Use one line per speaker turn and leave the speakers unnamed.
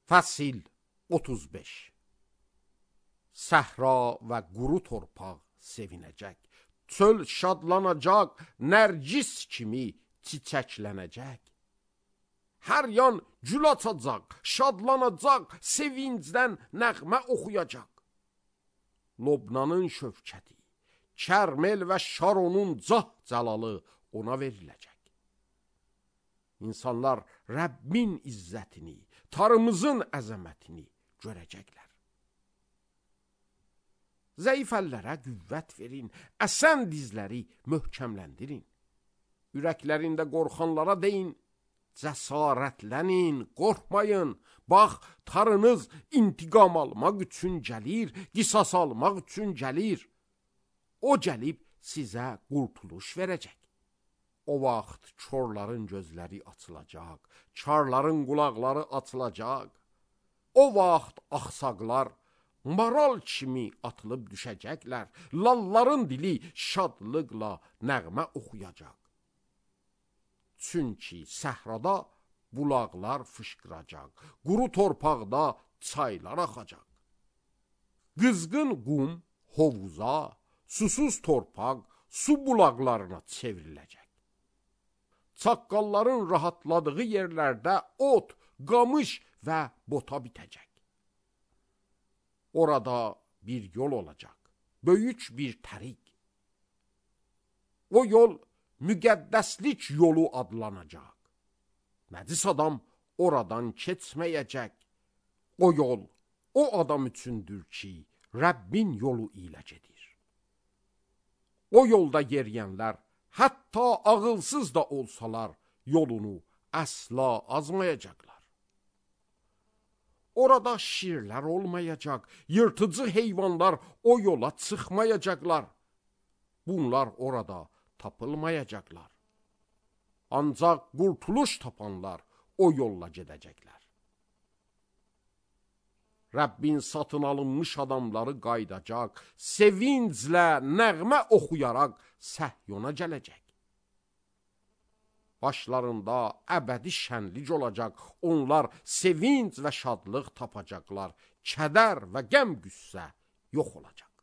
Fəsil 35. Səhra və quru torpaq sevinəcək, çöl şadlanacaq, nərcis kimi çiçəklənəcək. Hər yan gül açacaq, şadlanacaq, sevincdən nəğmə oxuyacaq. Lobnanın şövkəti, Kərmel və Şaronun cah-cəlalı ona veriləcək. İnsanlar Rəbbin izzətini, Tanrımızın əzəmətini görəcəklər. Zəif əllərə qüvvət verin, əsən dizləri möhkəmləndirin. Ürəklərində qorxanlara deyin, cəsarətlənin, qorxmayın. Bax, Tanrınız intiqam almaq üçün gəlir, qisas almaq üçün gəlir. O gəlib sizə qurtuluş verəcək. O vaxt körlərin gözləri açılacaq, karların qulaqları açılacaq. O vaxt axsaqlar maral kimi atılıb düşəcəklər, lalların dili şadlıqla nəğmə oxuyacaq. Çünki səhrada bulaqlar fışqıracaq, quru torpaqda çaylar axacaq. Qızğın qum hovuza, susuz torpaq su bulaqlarına çevriləcək. Çaqqalların rahatladığı yerlərdə ot, qamış və bota bitəcək. Orada bir yol olacaq, böyük bir tərik. O yol müqəddəslik yolu adlanacaq. Nəcis adam oradan keçməyəcək. O yol o adam üçündür ki, Rəbbin yolu ilə gedir. O yolda yeriyənlər, hətta ağılsız da olsalar, yolunu əsla azmayacaqlar. Orada şirlər olmayacaq, yırtıcı heyvanlar o yola çıxmayacaqlar. Bunlar orada tapılmayacaqlar. Ancaq qurtuluş tapanlar o yolla gedəcəklər. Rəbbin satın alınmış adamları qaydacaq, sevinclə nəğmə oxuyaraq Səhyona gələcək. Başlarında əbədi şənlik olacaq, onlar sevinc və şadlıq tapacaqlar, kədər və qəm-qüssə yox olacaq.